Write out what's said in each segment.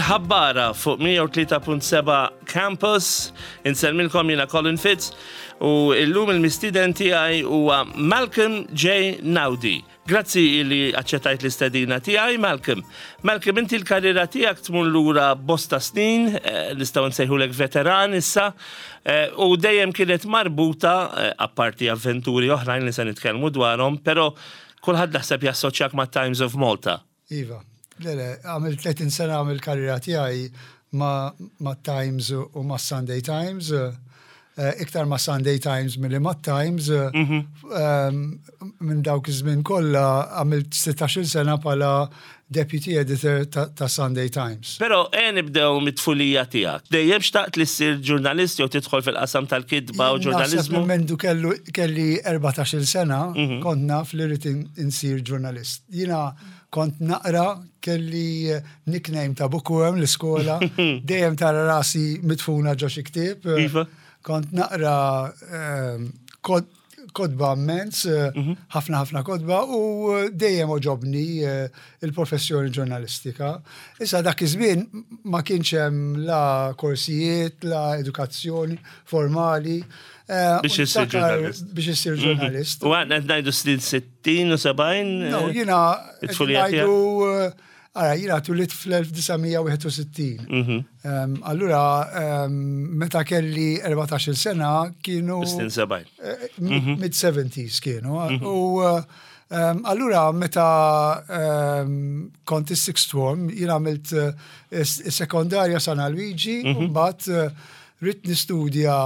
Il-Ħabbara fuq 103.7 Campus. Insellmilkom jiena Colin Fitz u illum il-mistieden tiegħi huwa Malcolm J. Naudi. Grazzi li aċċettajt l-istedina tiegħi, Malcolm. Malcolm, inti l-karriera tiegħek tmur lura bosta snin, eh, nistgħu nsejħulek veteran issa, eh, u dejjem kienet marbuta, eh, apparti avventuri oħrajn li se nitkellmu dwarhom, però kulħadd naħseb jassoċjak ma' Times of Malta. Iva, le le, għamilt 30 sena għamil karriera tiegħi ma', ma Times u ma' Sunday Times, eh, iktar ma' Sunday Times milli ma' Times, mhm. ehm, minn dawk iż-żmien kollha għamilt 16 sena bħala deputy editor ta', ta Sunday Times. Però e nibdew mit-tfulija tiegħek. Dejjem xtaqt li ssir ġurnalist jew tidħol fil-qasam tal-kitba u ġurnaliżmu? Minn mendu kellu kelli 14-il sena mhm. kont naf li rrid insir ġurnalist. Jiena kont naqra kelli nickname ta' bookworm l-iskola, dejjem tara rasi mitfuna ġo xi ktieb. Iva. Kont naqra ehm, kodba immens, eh, mhm. ħafna ħafna kodba u dejjem oġobni eh, il-professjoni ġurnalistika. Issa dak iż-żmien ma kienx hemm la korsijiet, la edukazzjoni formali. Eh, biex issir ġurnalist. Biex issir mhm. ġurnalist. U għadna ngħidu snin 60 u 70. No, jiena ngħidu Ara, jiena tulit fl-1961. Mhm. Allura, meta kelli 14 sena kienu. Snin 70. Eh, mhm. Mid-70s kienu. Mhm. U allura meta kont is-sixth form, jiena għamilt eh, sekondarja San Luigi, u mbagħad eh, ridt nistudja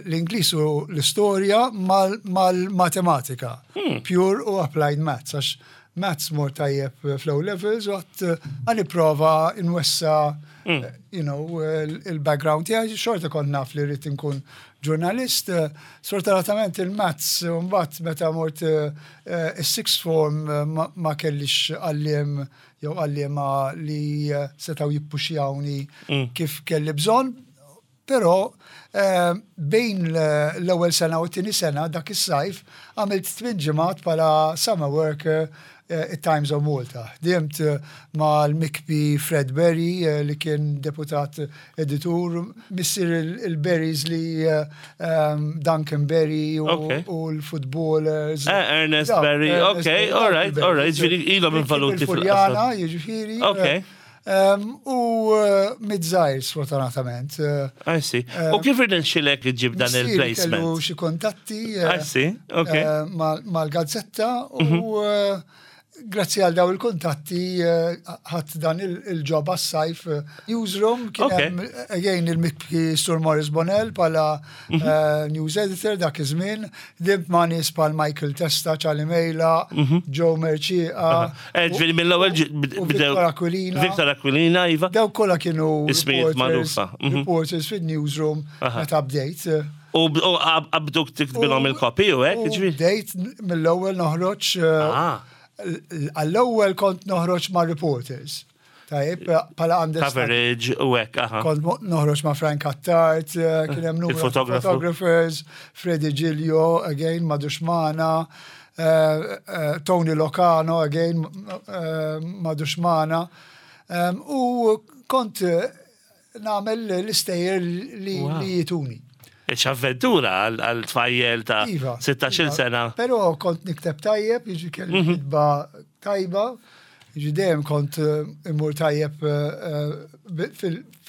l-Ingliż u l-istorja mal-matematika, hmm. pure u applied maths, għax maths mor tajjeb fl-O levels u għat għan prova nwessa hmm. you know, il-background tiegħi, xorta kont naf li rrid inkun ġurnalist, sfortunatament il-maths mbagħad meta mort is-sixth form ma kellix għalliem jew għalliema li setgħu jippuxjawni mm. kif kelli bżonn, però eh, bejn l-ewwel sena u t-tieni sena dak is-sajf għamilt tmien ġimgħat bħala summer worker eh, it-Times of Malta. Dimt eh, mal-mikbi Fred Berry li kien deputat editur, missier il-Berries li Duncan Berry u l-footballers. Eh, Ernest Berry, ok, all right, all right, ġifieri ilhom involuti fil-Furjana, jiġifieri. Ok. U mid-żgħir sfortunatament. I see. U kif irnexxilek iġib dan il-placement? Kellu xi kuntatti. I see, ok. Mal-gazzetta u mhm. Grazzi għal daw il-kuntatti eh, ħadd dan il-ġob għas-sajf eh, newsroom kien hemm again il-mikki Sur Morris Bonnell bħala mhm. eh, news editor dak iż-żmien, dimt ma' nies bħal Michael Testa, Charlie Mejla, mhm. Joe Merċieqa. Ġifieri mill-ewwel Victor Aquilina. Victor Aquilina, iva. Daw kollha kienu ismijiet magħrufa. Mhm. Reporters fid-newsroom meta bdejt. U qabduk tiktbilhom il-kopi u hekk, ġifieri? Bdejt mill-ewwel noħroġ. Eh, ah. Għall-ewwel kont noħroġ ma' reporters. Tajjeb, pala għandek. Coverage u hekk, aha. Kont noħroġ ma' Frank Attard, eh, kien hemm numru photographers, Freddy Giglio, again, ma' Duxmana, eh, Tony Locano, again, ma' Duxmana. U kont nagħmel l-istejjer li jituni. X'avventura għal tfajjel ta' 16 iva. sena. Però kont nikteb tajjeb, jiġi kelli mhm. kitba tajba, jiġi dejjem kont eh, immur tajjeb eh,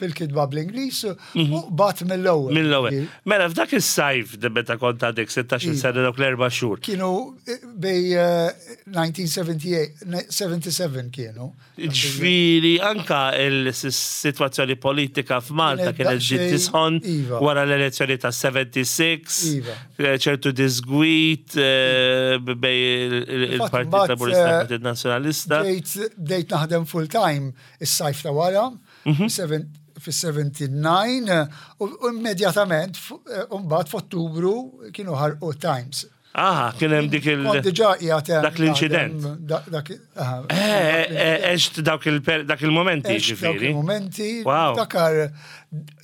fil-kitba bl-Ingliż mhm. u bat mill-ewwel. Mill-ewwel. Mela f'dak is-sajf meta kont għadek 16 iva. sena dawk l-erba' xhur. Kienu eh, bej 1978 77 kienu. Ġifieri anka il-sitwazzjoni politika f'Malta kienet ġiet tisħon iva. wara l-elezzjoni ta' 76, iva. Eh, ċertu disgwit eh, bej il-Partit Laburista eh, Partit Nazzjonalista. Bdejt naħdem full time is-sajf ta' wara, mhm. fis-79 u immedjatament mbagħad f'Ottubru kienu ħarqu Times. Aha, kien hemm dik il. Kont diġà qiegħed hemm. Dak l-inċident. Dak eh, eh, Eġt dawk il-momenti ġifieri. Dawk il-momenti. Dakar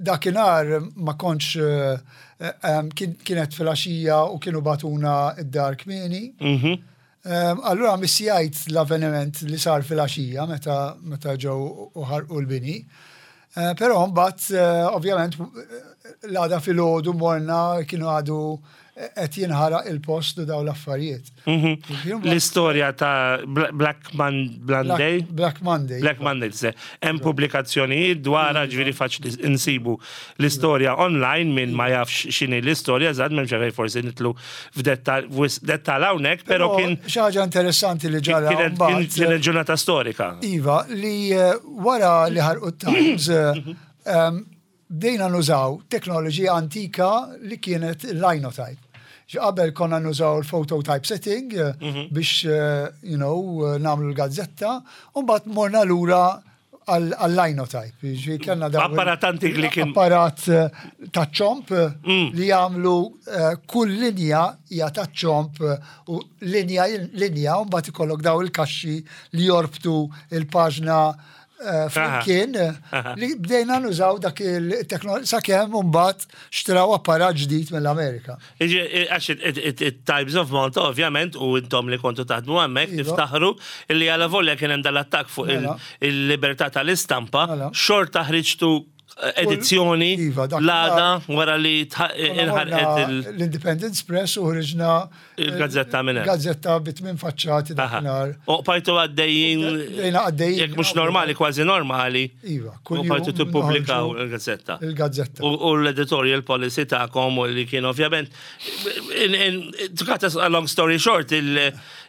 dakinhar ma kontx eh, kienet filgħaxija u kienu batuna id-dar kmieni. Mhm. Allura missjajt l-avveniment li sar filgħaxija meta ġew u ħarqu l-bini. Però mbagħad ovvjament l-għada filgħodu morna kienu għadu qed jinħaraq il-post u daw l-affarijiet. L-istorja ta' Black Monday? Black Monday. Black Monday, se. Hemm pubblikazzjonijiet dwarha ġifieri faċli nsibu l-istorja online minn ma jafx x'inhi l-istorja, żgħad m'hemmx għalfejn forsi nidħlu f'dettall hawnhekk, però kien. Xi ħaġa interessanti li ġara. Kienet ġurnata storika. Iva, li wara li ħarqu t-Times, bdejna nużaw teknoloġija antika li kienet linotype. Qabel konna nużaw il-phototype setting biex nagħmlu l-gazzetta, u mbagħad morna lura għall-linotype. Ġifieri kellna dawn Apparat antik li kien apparat ta' ċomp li jagħmlu kull linja hija ta' ċomp u linja linja u mbagħad ikollok daw il-kaxxi li jorbtu il-paġna flimkien li bdejna nużaw dak il-teknoloġija sakemm mbagħad xtraw apparat ġdid mill-Amerika. Għax it-Times of Malta, ovvjament, u intom li kontu taħdmu hemmhekk niftaħru li għala volja kien hemm dal-attakk fuq il-libertà tal-istampa, xorta ħriġtu edizzjoni l-għada wara li inħarqet l-Independence Press u ħriġna il-gazzetta minn hemm. Gazzetta bit-tmien faċċati dakinhar. U bqajtu għaddejjin. Bdejna għaddejjin. Jekk mhux normali, kważi normali. Iva, kull U bqajtu tippubblikaw il-gazzetta. Il-gazzetta. U l-editorial policy tagħkom u li kien ovvjament. To cut a long story short,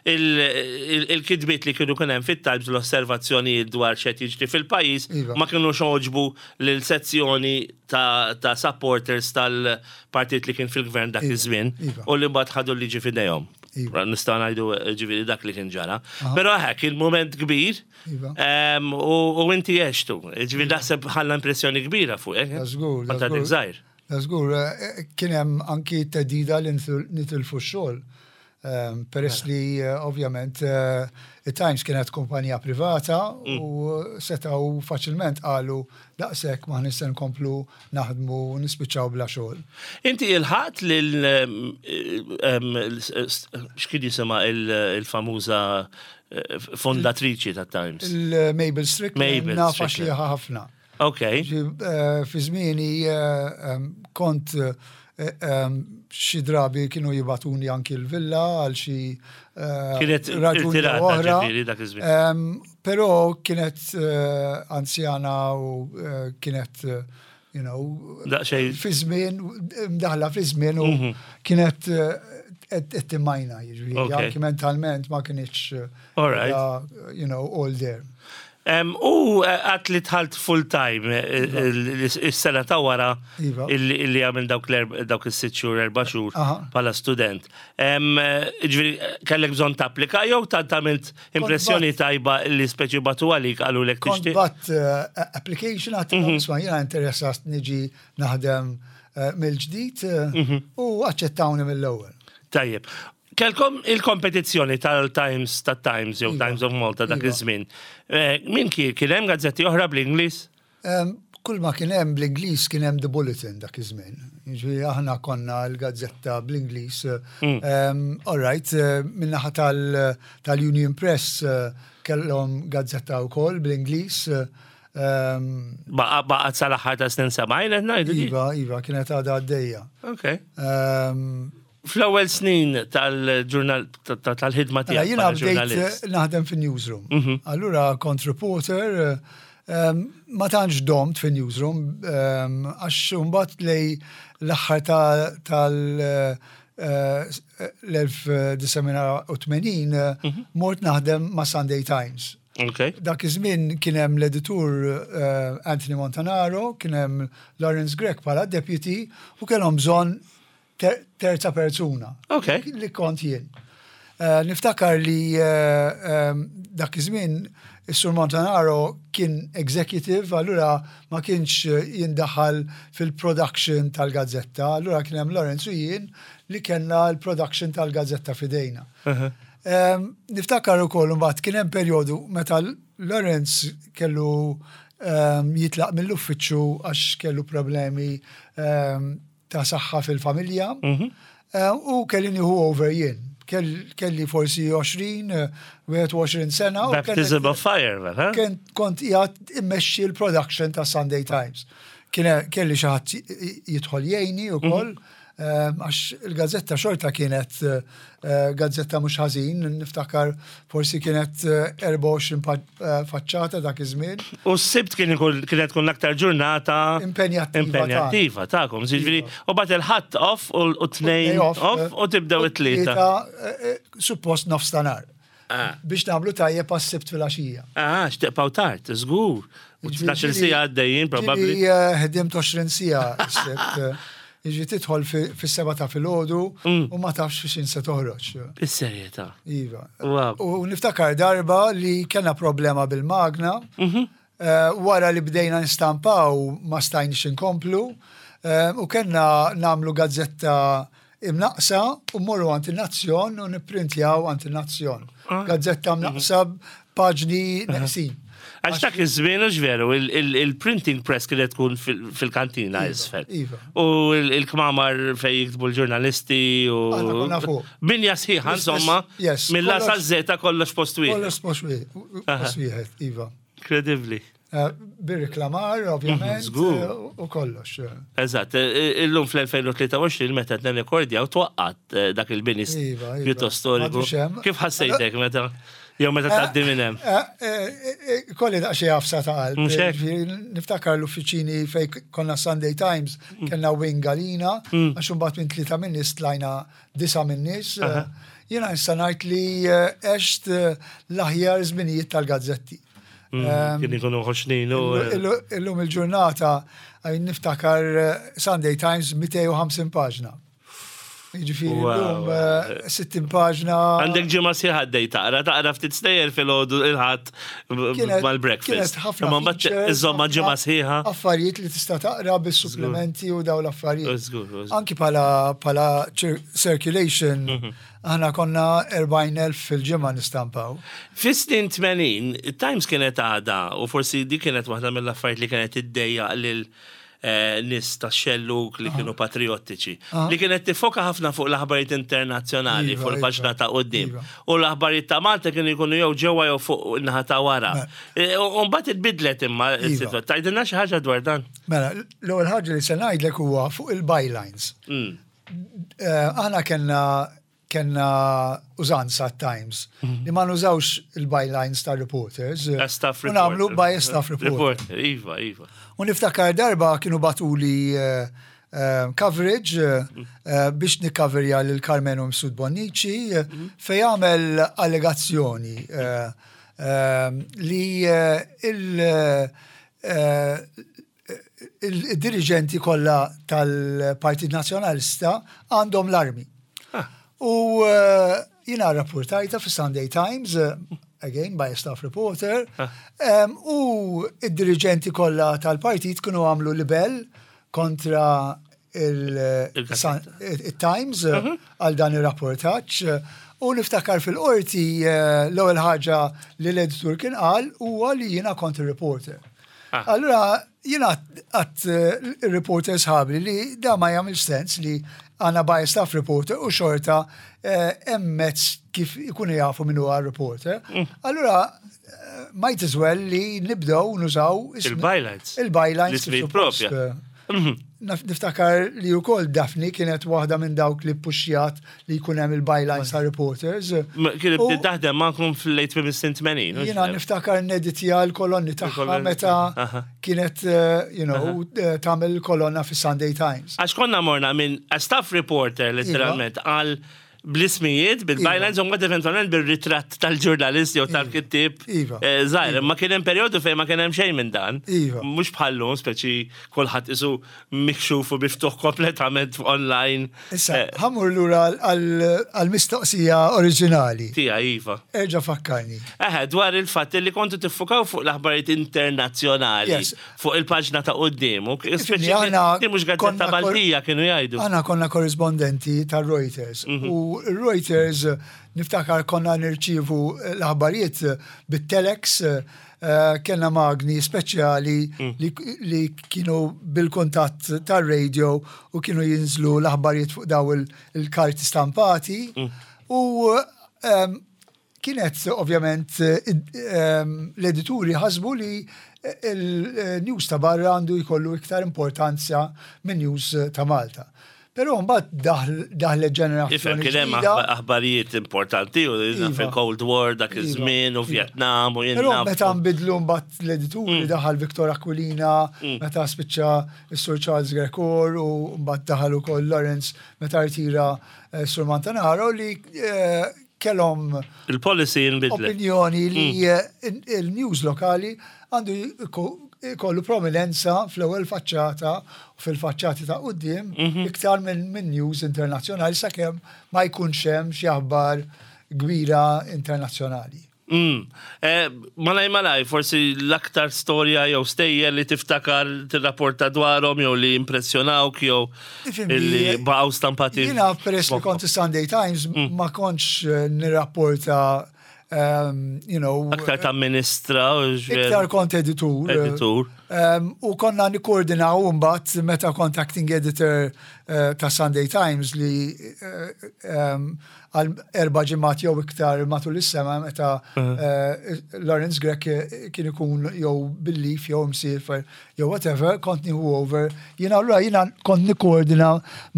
il-kitbiet li kienu kien hemm fit-Times, l-osservazzjonijiet dwar x'qed jiġri fil-pajjiż ma kienux għoġbu lil sezzjoni ta' supporters tal-partit li kien fil-gvern dak iż-żmien u li mbagħad ħadu l-liġi f'idejhom. Nistgħu ngħidu ġifieri dak li kien ġara. Però hekk kien mument kbir u inti għextu. Ġifieri naħseb ħalla impressjoni kbira fuqek. Żgur. Kont għadek żgħir. Żgur, kien hemm anki theddida li nitilfu x-xogħol. Peress li ovvjament it-Times kienet kumpanija privata u setgħu faċilment qalu daqshekk ma nistgħu nkomplu naħdmu u nispiċċaw bla xogħol. Inti ilħaqt lil x'kien jisimha il-famuża fondatriċi ta' Times? Il-Mabel Strickland. Mabel Nafa Strickland. xieħa ħafna. Fi żmieni kont xi drabi kienu jibatuni anki l-villa għal xi Kienet raġuni irtirata oħra. Ġifieri dak iż-żmien. Però kienet anzjana u kienet Daqsxejn fi żmien, mdaħla fi żmien u kienet qed timmajna, jiġifieri, anki mentalment ma kienx all there. U għat li dħalt full time is-sena ta' wara illi għamil dawk is-6 xhur, 4 xhur bħala student. Ġifieri, kellek bżonn tapplika jew ta' għamilt impressjoni tajba li speċi bagħtu għalik qalu lek Kont tixtieq? bgħatt application għat isma' jiena interessat niġi naħdem mill-ġdid u aċċettawni mill-ewwel. Tajjeb. Kelkom il-kompetizzjoni tal-Times, tat-Times jew Times of Malta dak iż-żmien. Min kien hemm gazzetti oħra bl-Ingliż? Kull ma kien hemm bl-Ingliż kien hemm The Bulletin dak iż-żmien. Jiġifieri aħna konna l-gazzetta bl-Ingliż. All right, min-naħa tal-Union Press kellhom gazzetta wkoll bl-Ingliż. Baqgħet sal-aħħar ta' snin 70 qed ngħidu di? Iva, kienet għadha għaddejja. Fl-ewwel snin tal-ġurnal tal-ħidma Mela, tiegħek jiena bħala bdejt ġurnalist. naħdem fin-newsroom. Allura kont reporter, ma tantx domt fin-newsroom, għax mbagħad lej l-aħħar tal-1980 mort naħdem ma' Sunday Times. Dak iż-żmien kien hemm l-editur Anthony Montanaro, kien hemm Lawrence Grech bħala deputy u kellhom bżonn terza persuna. Li kont jien. Niftakar li dak iż-żmien is-Sur Montanaro kien executive, allura ma kienx jindaħal fil-production tal-gazzetta, allura kien hemm Lawrence u jien li kellna l-production tal-gazzetta f'idejna. Niftakar ukoll imbagħad kien hemm perjodu meta Lawrence kellu jitlaq mill-uffiċċju għax kellu problemi ta' saħħa fil-familja u kelli nieħu over jien. Kelli forsi 20, 21 sena. Baptism of fire, mela. Kont qiegħed immexxi l-production ta' Sunday Times. Kelli xi ħadd jidħol jgħinni wkoll. Għax il-gazzetta xorta kienet gazzetta mhux ħażin, niftakar forsi kienet 24 faċċata dak iż-żmien. U s-Sibt kien kienet tkun l-aktar ġurnata impenjattiva impenjattiva tagħkom. Jiġifieri u bagħad il-Ħadd off u t-Tnejn off u tibdew it-Tlieta. Suppost nofstanhar. Biex nagħmlu tajjeb għas-Sibt filgħaxija. Ah, x'teqgħu tard, żgur. U 12 siegħa għaddejjin probabbli. Ħdimt 20 siegħa s-Sibt. Jiġi tidħol fis-7 ta' filgħodu u ma tafx fix se toħroġ. Is-serjetà. Iva. U niftakar darba li kellna problema bil-magna. Wara li bdejna nistampaw ma stajniex inkomplu u kellna nagħmlu gazzetta imnaqsa u mmorru għand in-Nazzjon u nipprintjaw għand in-Nazzjon. Gazzetta mnaqsa paġni neqsin. Għax dak iż-żmien hux veru, il-printing press kienet tkun fil-kantina iva, isfel. Iva. U il-kmamar fej jiktbu l-ġurnalisti u. Binja sħiħa, insomma. Mill-A sa Z kollox post wieħed. Kollox post wieħed, iva. Kredibbli. Bir-reklamar, ovvjament. Żgur. U kollox. Eżatt, illum fl-2023 meta qed nirrekordjaw twaqqat dak il-bini Iva, iva. pjuttost storiku. M'għadux hemm. Kif ħassejtek meta jew meta tgħaddi minn hemm? Kolli daqsxejn għafsa ta' qalb. Mhux hekk? Ġifieri, Niftakar l-uffiċini fej konna Sunday Times, kellna wing għalina, għax imbagħad minn tlieta minn nies tlajna disa' minn nies. Jiena nista' ngħid li għext l-aħjar żminijiet tal-gazzetti. Kien ikunu ħoxnin u. Illum il-ġurnata għajn niftakar Sunday Times 250 paġna. Jiġifieri llum 60 paġna. Għandek ġimgħa sħiħa għaddej taqra, taqra ftit stejjer filgħodu il-Ħadd mal-breakfast. Kienet ħafna. Imma mbagħad iżomma ġimgħa sħiħa. Affarijiet li tista' taqra bis-supplementi u dawn l-affarijiet. Anki bħala circulation Aħna konna 40,000 fil-ġimgħa nistampaw. Fis-snin 80, it-Times kienet għadha, u forsi dik kienet waħda mill-affarijiet li kienet iddejjaq lil nies tax-xellug li kienu patrijottiċi, li kienet tiffoka ħafna fuq l-aħbarijiet internazzjonali fuq il-paġna ta' quddiem. U l-aħbarijiet ta' Malta kienu jkunu jew ġewwa jew fuq in-naħa ta' wara. U mbagħad itbiddlet imma s-sitwazzjoni. Tgħidilna xi ħaġa dwar dan? Mela, l-ewwel ħaġa li se ngħidlek huwa fuq il-bylines. Aħna kellna kellna użanza at-Times li ma nużawx il-bylines ta' reporters. Staff U nagħmlu by staff reporter. Iva, iva. U niftakar darba kienu batuli coverage biex nikkaverja lil Carmenu Msud Bonnici fejn għamel allegazzjoni li il- il-diriġenti kollha tal-Partit Nazzjonalista għandhom l-armi. Ah. U eh, jina rapportajta fi Sunday Times, eh, again by a staff reporter, ah. u id-diriġenti kollha tal-partit kienu għamlu libel kontra il-Times eh, mhm. għal dan ir-rapportaġġ. U niftakar fil-qorti l-ewwel ħaġa li l-editur kien qal huwa li jiena kont ir-reporter. Ah. Allura jiena għat eh, reporter sħabli li da ma jagħmel sens li għana by staff reporter u xorta eh, hemm mezz kif ikunu jafu min huwa reporter. Allura eh, might as well li nibdew nużaw il-bylines. Il-bylines. L-ismijiet propja. Niftakar li wkoll Daphne kienet waħda minn dawk li ppuxjat li jkun hemm il-bylines ta' reporters. Kienet bdiet taħdem magħkom fil-late fis-snin 80. Jiena niftakar neditja l-kolonni tagħha meta kienet you know, tagħmel kolonna fis-Sunday Times. Għax konna morna minn staff reporter letteralment għal bl-ismijiet, bil-bylines, u mbagħad eventwalment bir-ritratt tal-ġurnalist jew tal-kittieb Iva. eh, żgħir. Imma kien hemm perjodu fejn ma kien hemm xejn minn dan. Iva. Mhux bħallum, speċi kulħadd isu mikxuf u miftuħ kompletament online. Issa, Eh, ħamur lura għall-mistoqsija oriġinali. Tija, iva. Erġa' fakkarni. Eħe, dwar il-fatt li kontu tiffukaw fuq l-aħbarijiet internazzjonali. Yes. Fuq il-paġna ta' quddiem. U Ifhimni, aħna Di mhux gazzetta konna kor- Maltija kienu jgħidu. Aħna konna korrispondenti tar-Reuters. U Reuters niftakar konna nirċievu l-aħbarijiet bit-telex, kellna magni speċjali li, li kienu bil-kuntatt tar-radio u kienu jinżlu l-aħbarijiet fuq daw il-karti stampati. U kienet ovvjament l-edituri ħasbu li il-news ta' barra għandu jkollu iktar importanza minn news ta' Malta. Però mbagħad daħlet ġenerazzjoni. Ifhem kien hemm aħbarijiet importanti u iva. fil-Cold War dak iva. iż-żmien u iva. Vietnam u jien. Però meta nbidlu mbagħad l-edituri daħal Victor Aquilina, meta spiċċa s-Sur Charles Grecor u mbagħad daħal ukoll Lawrence meta rtira eh, Sur Montanaro li eh, kellhom il-policy jinbidlet. Opinjoni li mm. eh, il-news lokali għandu jkollu prominenza fl-ewwel faċċata u fil-faċċati ta' quddiem mhm. iktar minn news internazzjonali sakemm ma jkunx hemm xi aħbar kbira internazzjonali. Mm. Eh, malaj malaj, forsi l-aktar storja jew stejjer li tiftakar tirrapporta dwarhom jew li impressjonawk jew li baqgħu stampati. Jiena peress li kont Sunday Times ma kontx eh, nirrapporta um, you know. Aktar ta' ministra. Iktar kont editur. Editur. Um, u konna nikkoordinaw mbagħad meta kont acting editor uh, ta' Sunday Times li uh, um, għal erba' ġimgħat jew iktar matul is-sena meta uh, Lawrence Grech kien ikun jew bil-leave jew msiefer jew whatever, kont nieħu over. Jiena allura jiena kont nikkoordina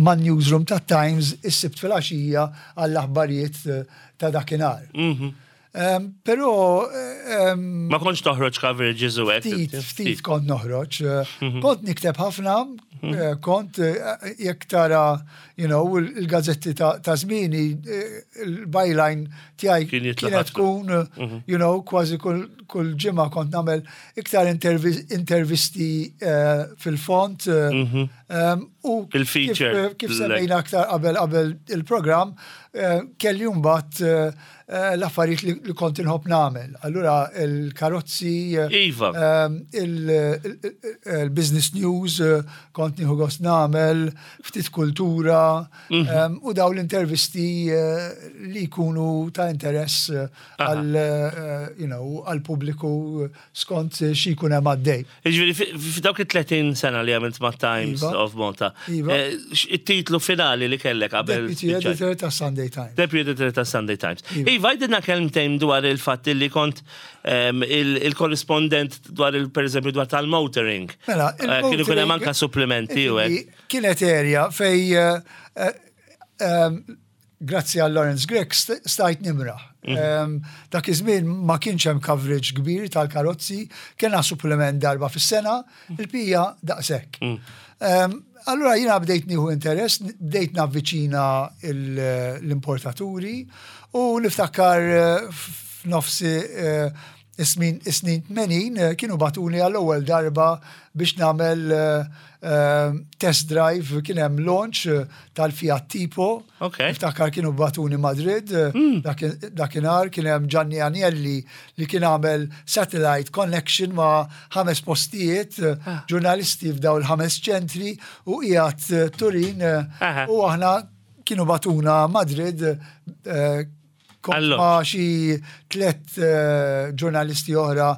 man newsroom ta' Times is-Sibt filgħaxija għall-aħbarijiet ta' dakinhar. Mhm. Però. Ma kontx toħroġ coverages u hekk. Ftit, ftit kont noħroġ. Eh. Kont nikteb ħafna, mhm. eh, kont eh, jekk tara, you know, il-gazzetti ta' żmieni, il-byline tiegħi kienet tkun, mhm. you know, kważi kull ġimgħa kont nagħmel iktar intervisti fil-font. Mhm. U il-feature. Kif semmejna aktar qabel qabel il-programm, kelli mbagħad Eh, l-affarijiet li kont inħobb nagħmel. Allura il-karozzi, eh, iva. Ehm, il-business news eh, kont nieħu gost nagħmel, ftit kultura mhm. ehm, u daw l-intervisti li jkunu ta' interess għal you know, għal pubbliku skont xi jkun hemm għaddej. Jiġifieri f'dawk it-30 sena li għamilt ma' Times iva. of Malta, iva. Eh, it-titlu finali li kellek qabel. Deputy Editor ta' Sunday Times. Deputy Editor ta' Sunday Times. Iva, iva għidilna kelmtejn dwar il-fatt li kont ehm, il-korrispondent dwar il per eżempju dwar tal-motoring. Mela, eh, kienu kien hemm anka supplementi u hekk. Kienet area fej eh, ehm, Grazzi għal Lawrence Grech stajt nimraħ. Mhm. Dak iż-żmien ma kienx hemm coverage kbir tal-karozzi, kellna supplement darba fis-sena, mhm. il-pija daqshekk. Mhm. Allura jiena bdejt nieħu interess, bdejt navviċina l-importaturi u niftakar eh, f'nofs eh, Is-snin 80 kienu bagħtuni għall-ewwel darba biex nagħmel test drive kien hemm launch tal-Fiat Tipo. Niftakar kienu bagħtuni Madrid hmm. dakinhar kien hemm Gianni Agnelli li kien għamel satellite connection ma' ħames postijiet, ah. ġurnalisti f'daw il-ħames ċentri u qiegħed Turin u aħna kienu bagħtuna Madrid Kont ma' xi tlett eh, ġurnalisti oħra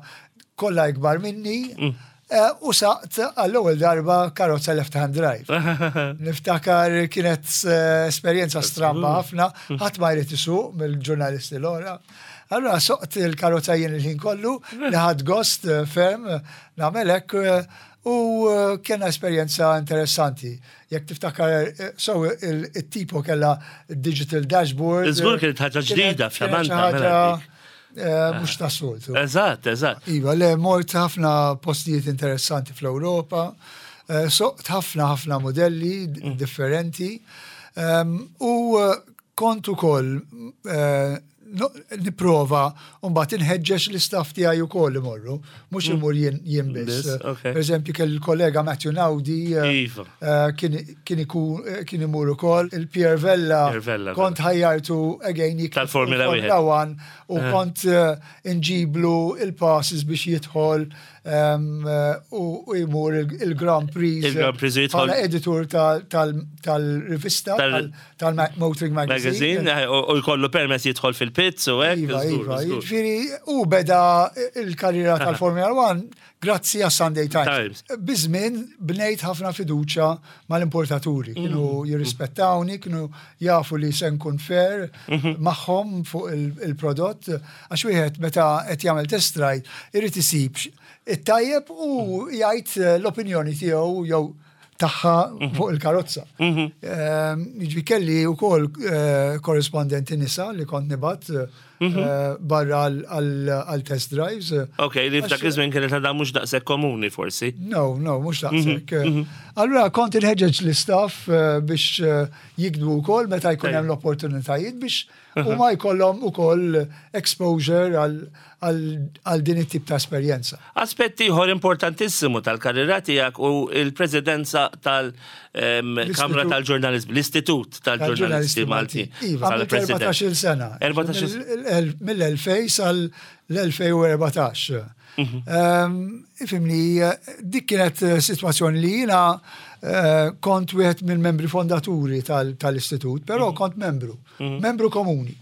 kollha ikbar minni. Mm. Eh, u saqt għall-ewwel darba karozza left hand drive. Niftakar kienet eh, esperjenza stramba ħafna, mm. ħadd ma jrid isuq mill-ġurnalisti l-oħra. Allura soqt il-karozza jien il-ħin kollu li ħadd gost ferm nagħmel hekk u kena esperjenza interessanti. Jekk tiftakar, eh, so il-tipo kella digital dashboard. Iżgur kienet ħaġa ġdida f'Samantha. Mela eh, mhux ta' soltu. Eżatt, eżatt. Iva, le mort ħafna postijiet interessanti fl-Ewropa, eh, soqt ħafna ħafna modelli differenti. Ehm, u kont ukoll nipprova u mbagħad inħeġġeġ l-istaff tiegħi wkoll imorru, mhux mm. imur jien biss. Per eżempju kelli l-kollega Matthew Naudi eh, iva. eh, kien ikun eh, kien imur ukoll, il-Pier Vella kont ħajjartu again tal-Formula 1 u kont inġiblu il-passes biex jidħol. u jmur il-Grand Prix. Il-Grand Prix jidħol. Editur tal-rivista tal-Motoring Magazine. Eh, u jkollu permess jidħol fil-pits u hekk. Iva, iva, jiġifieri u beda il-karriera tal-Formula 1 grazzi għas Sunday Times. Biżmien bnejt ħafna fiduċa mal-importaturi, kienu mm. jirrispettawni, kienu jafu li se nkun fair mhm. magħhom fuq il-prodott, għax wieħed meta qed jagħmel test ride irid isib it-tajjeb u mhm. jgħid l-opinjoni tiegħu jew tagħha mhm. fuq il-karozza. Ehm, jiġri kelli wkoll eh, korrispondenti nisa li kont nibgħat eh, barra għal test drives. Ok, li f'dak iż-żmien kienet għadha mhux daqshekk komuni forsi. No, no, mhux daqshekk. Allura kont inħeġġeġ l-istaff eh, biex jikdbu wkoll meta jkun hemm l-opportunitajiet biex huma jkollhom ukoll exposure għal din it-tip ta' esperjenza. Aspett ieħor importantissimu tal-karriera tiegħek hu l-presidenza tal-Kamra tal-Ġurnaliżmu, l-Istitut tal-Ġurnalisti Maltin. Iva, 14-il sena. Mill-2000 sal-2014. Mhm. Ifimni, dik kienet eh, situazzjoni li jina eh, kont wieħed mill-membri fondaturi tal-istitut, però mhm. kont membru, mhm. membru komuni.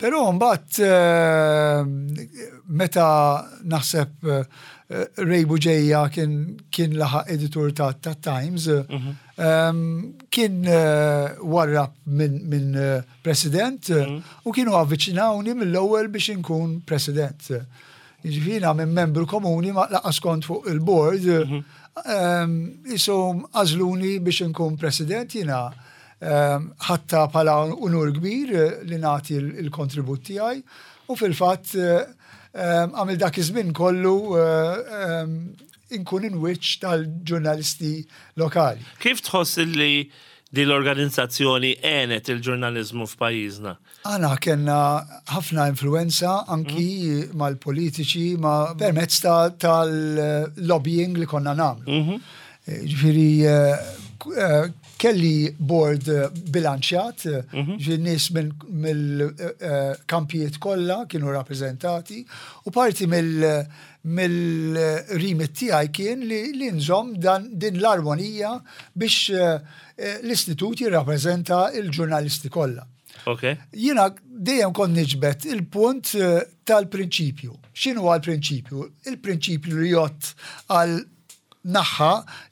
Però mbagħad eh, meta naħseb Ray Buġeja kien laħaq editur ta' Times, kien warrab minn president u kienu avviċinawni mill-ewwel biex inkun president. Jiġifieri jiena minn membru komuni ma laqas kont fuq il-board, mhm. ehm, isom għażluni biex inkun president jiena ehm, ħatta bħala unur kbir eh, li nagħti l-kontribut tiegħi u fil-fatt eh, ehm, għamil dak iż-żmien kollu eh, inkun inwiċċ tal-ġurnalisti lokali. Kif tħoss li din l-organizzazzjoni għenet il-ġurnaliżmu f'pajjiżna? Aħna kellna ħafna influenza anki mm. mal-politiċi ma permezz tal-lobbying li konna nagħmlu. Mhm. Eh, ġifieri eh, eh, kelli board bilanċjat, mhm. ġifieri nies mill-kampijiet kollha kienu rappreżentati u parti mill- mill-rimit tiegħi kien li, li nżomm din l-armonija biex l-istitut jirrappreżenta l-ġurnalisti kollha. Okay. Jiena dejjem kont niġbed il-punt eh, tal-prinċipju. X'inhu għal-prinċipju? Il-prinċipju li jott għal naħħa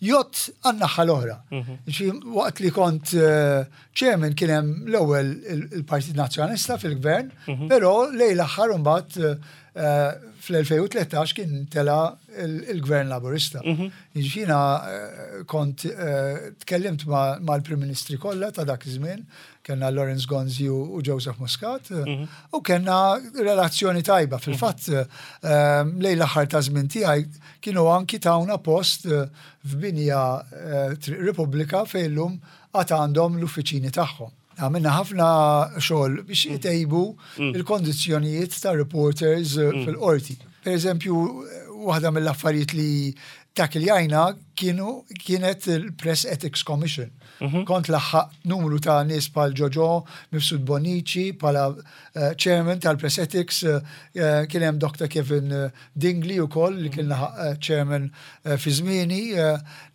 jott għal naħħa l-oħra. Mhm. Waqt li kont eh, chairman kien hemm l-ewwel il-Partit Nazzjonalista fil-gvern, mhm. però lejn l-aħħar imbagħad eh, fl-2013 kien tela il-gvern laburista. Mhm. Jiġifieri kont tkellimt mal-Prim Ministri kollha ta' dak iż-żmien, Kellna Lawrence Gonzi u Joseph Muscat mhm. u kellna relazzjoni tajba. Fil-fatt ehm, lejn l-aħħar ta' żmien tiegħi kienu anki tawna post eh, f'binja eh, Triq Repubblika fejn illum għad għandhom l-uffiċini tagħhom. Għamilna ħafna xogħol biex mm. jtejbu mm. il-kondizzjonijiet ta' reporters eh, mm. fil-qorti. Per eżempju, waħda mill-affarijiet li takiljajna kienu kienet il-Press Ethics Commission. Mhm. Kont laħħaqt numru ta' nies bħal Ġoġo Mifsud Bonici bħala eh, chairman tal-Press Ethics, eh, eh, kien hemm Dr. Kevin Dingli wkoll li kien laħaq chairman fi żmieni,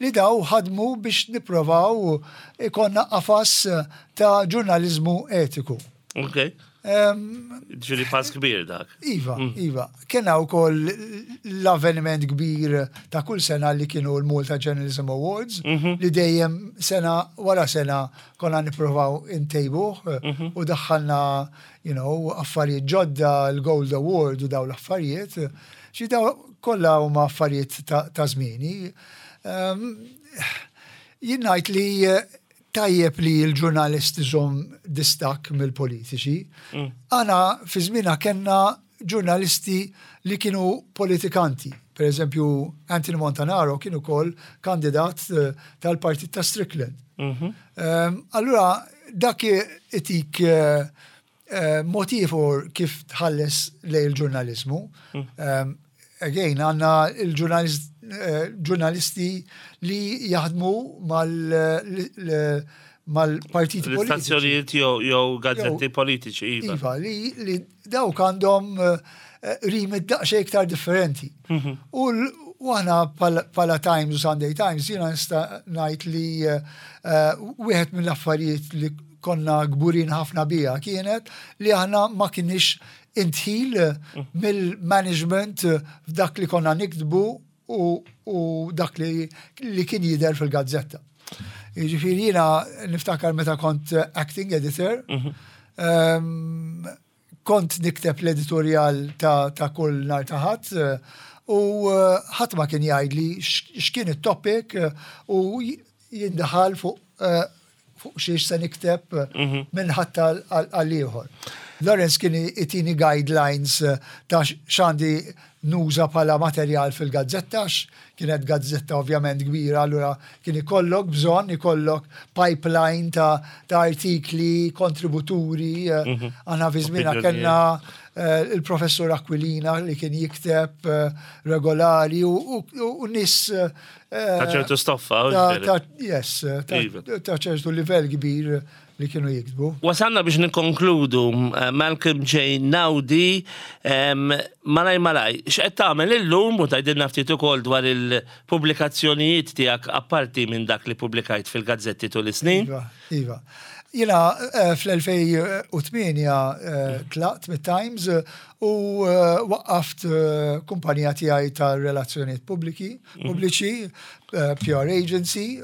li daw ħadmu biex nipprovaw ikonna qafas ta' ġurnaliżmu etiku. Ok. Ġiri pass kbir dak. Iva, mm. iva. Kena u koll l-avveniment kbir ta' kull sena li kienu l-Malta Journalism Awards, mhm. li dejjem sena wara sena konna niprovaw intejbuh mhm. u daħħalna, you know, affarijiet ġodda, l-Gold Award u daw l-affarijiet. Xi daw kollha huma affarijiet ta' żmieni. Jien ngħid li Tajjeb li l-ġurnalist iżomm distakk mill-politiċi. Mm. Għana fi żmienha kellna ġurnalisti li kienu politikanti. Per eżempju, Anthony Montanaro kien ukoll kandidat eh, tal-partit ta' Strickland. Mhm. Ehm, allura, dak itik eh, eh, mod ieħor kif tħalles lej il-ġurnaliżmu. Mm. Ehm, again, għanna il-ġurnalisti eh, li jaħdmu mal-partiti politiċi. L-istazzjonijiet jew gazzetti politiċi. Iva, iva li, dawk għandhom eh, rimit daqsxejn iktar differenti. Mhm. U aħna bħala Times u Sunday Times jiena nista' ngħid li wieħed mill-affarijiet li konna kburin ħafna biha kienet li aħna ma kienx indħil mill-management f'dak li konna niktbu u dak li, li kien jidher fil-gazzetta. Jiġifieri jiena niftakar meta kont acting editor, mm -hmm. Kont nikteb l-editorjal ta' ta' kull nhar ta' Ħadd u ħadd ma kien jgħidli x'kien it-topic u jindaħal fuq fuq xiex se nikteb minn ħadd għal ieħor. Lawrence kien itini guidelines ta' x'għandi nuża bħala materjal fil-gazzetta għax kienet gazzetta ovvjament kbira allura kien ikollok bżonn ikollok pipeline ta', ta artikli, kontributuri. Eh, mhm. Aħna fi żmienha kellna eh, il-professur Aquilina li kien jikteb eh, regolari u, u, nies Ta' ċertu stoffa. Yes, ta' iva. ċertu livell kbir li kienu jiktbu. Wasalna biex nikkonkludu, eh, Malcolm J. Naudi, malaj malaj, x'qed tagħmel illum u tgħidilna ftit ukoll dwar il-pubblikazzjonijiet tiegħek apparti minn dak li pubblikajt fil-gazzetti tul is-snin? Iva, iva. Jiena eh, fl-2008 eh, tlaqt mit-Times u waqqaft kumpanija tiegħi ta' relazzjonijiet pubbliki, pubbliċi, PR agency,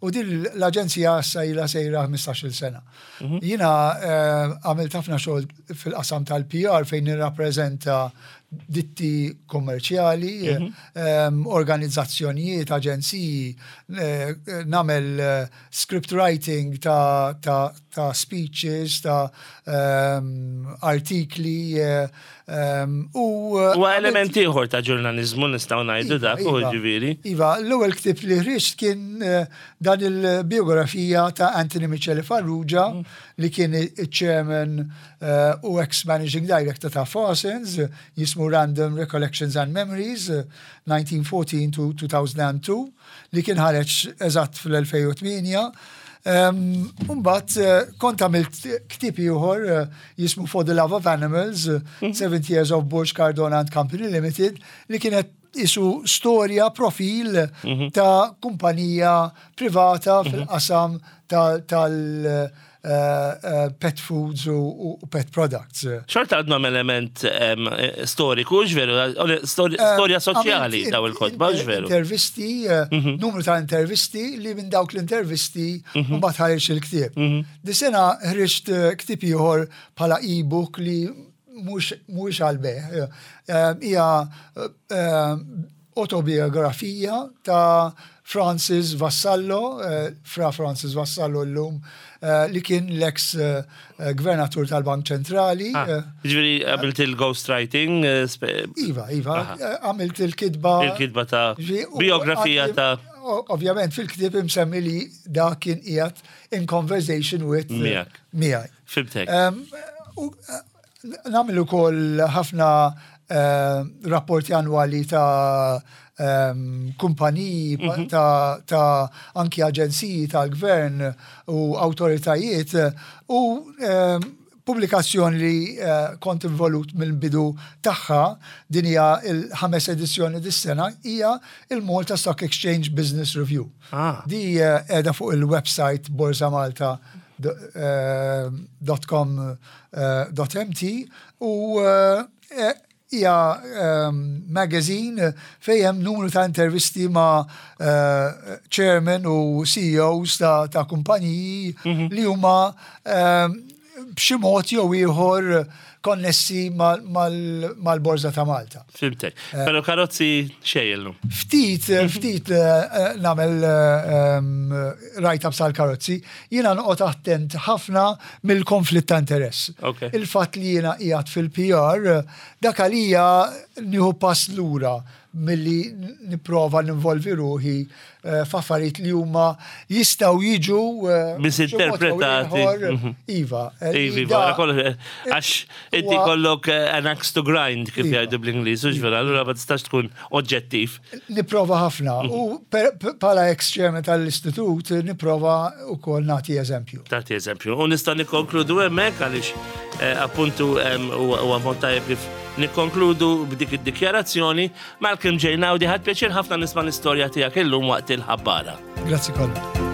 U din l-aġenzija issa ilha sejra 15-il sena. Mhm. Jiena eh, għamilt ħafna xogħol fil-qasam tal-PR fejn nirrappreżenta ditti kommerċjali, mhm. ehm, organizzazzjonijiet, aġenziji, eh, namel eh, script writing ta', ta, ta speeches, ta' ehm, artikli, Ehm, u Huwa element ieħor ta' ġurnaliżmu nistgħu ngħidu iva, dak u iva. ġifieri. Iva, l-ewwel ktieb li ħriġt kien eh, dan il-biografija ta' Anthony Michele Farrugia mm. li kien il-chairman eh, u ex-managing director ta' Farsons, jismu Random Recollections and Memories, 1914 to 2002, li kien ħareġ eżatt fl-2008. Umbat, eh, kont għamilt ktieb ieħor eh, jismu For the Love of Animals, 70 mhm. Years of Borg Cardona and Company Limited, li kienet isu storja, profil mhm. ta' kumpanija privata mhm. fil-qasam tal- eh, eh, pet foods u pet products. Xorta għadhom element storiku, ġveru, storja soċjali daw il-kotba, ġveru. Intervisti, eh, mhm. numru ta' intervisti li minn dawk l-intervisti mhm. mbagħad ħareġ il-ktieb. Mhm. Di sena ħriġt ktieb ieħor bħala e-book li mhux għal-beħ. Hija Autobiografija ta' Francis Vassallo, Fra Francis Vassallo llum, li kien l-eks gvernatur tal-Bank Ċentrali. Ah, ġifieri għamilt il-ghostwriting? Iva, iva, għamilt il-kitba. Il-kitba ta' biografija ta' Ovvjament fil-ktieb imsemmi li da kien qiegħed in conversation with miegħek. Miegħi. Fimtek. Nagħmel ukoll ħafna eh, rapporti annwali ta' ehm, kumpaniji, mhm. ta', ta anki aġenziji tal-gvern u awtoritajiet u ehm, pubblikazzjoni li eh, kont involut mill-bidu tagħha din hija l-ħames edizzjoni dis-sena hija il-Malta Stock Exchange Business Review. Ah. Di eh, qiegħda fuq il-website Borsa Malta dot com dot mt u hija magazine fejn hemm numru ta' intervisti ma' chairman u CEOs ta' kumpaniji mhm. li huma b'xi mod jew ieħor konnessi mal-Borża ta' Malta. Fimtek. Eh. Pero karozzi xejn Ftit, eh, ftit eh, nagħmel ehm, write-ups għal karozzi, jiena noqgħod attent ħafna mill-konflitt ta' interess. Il-fatt li jiena qiegħed fil-PR, dak għalija nieħu pass lura milli nipprova ninvolvi ruħi eh, f'affarijiet li huma jistgħu jiġu eh, misinterpretati. Mhm. Iva. Eh, iva, iva, għax inti kollok an axe to grind kif iva. jgħidu bl-Ingliż, u ġvera, allura ma tistax tkun oġġettiv. Nipprova ħafna mhm. u bħala ex-chairman tal-istitut nipprova wkoll nagħti eżempju. Tagħti eżempju. U nista' nikkonkludu hemmhekk għaliex appuntu huwa mod tajjeb kif. Nikkonkludu b'dik id-dikjarazzjoni, Malcolm J. Naudi ħadt pjaċir ħafna nisma' l-istorja tiegħek illum waqt il-ħabbara. Grazzi Colin.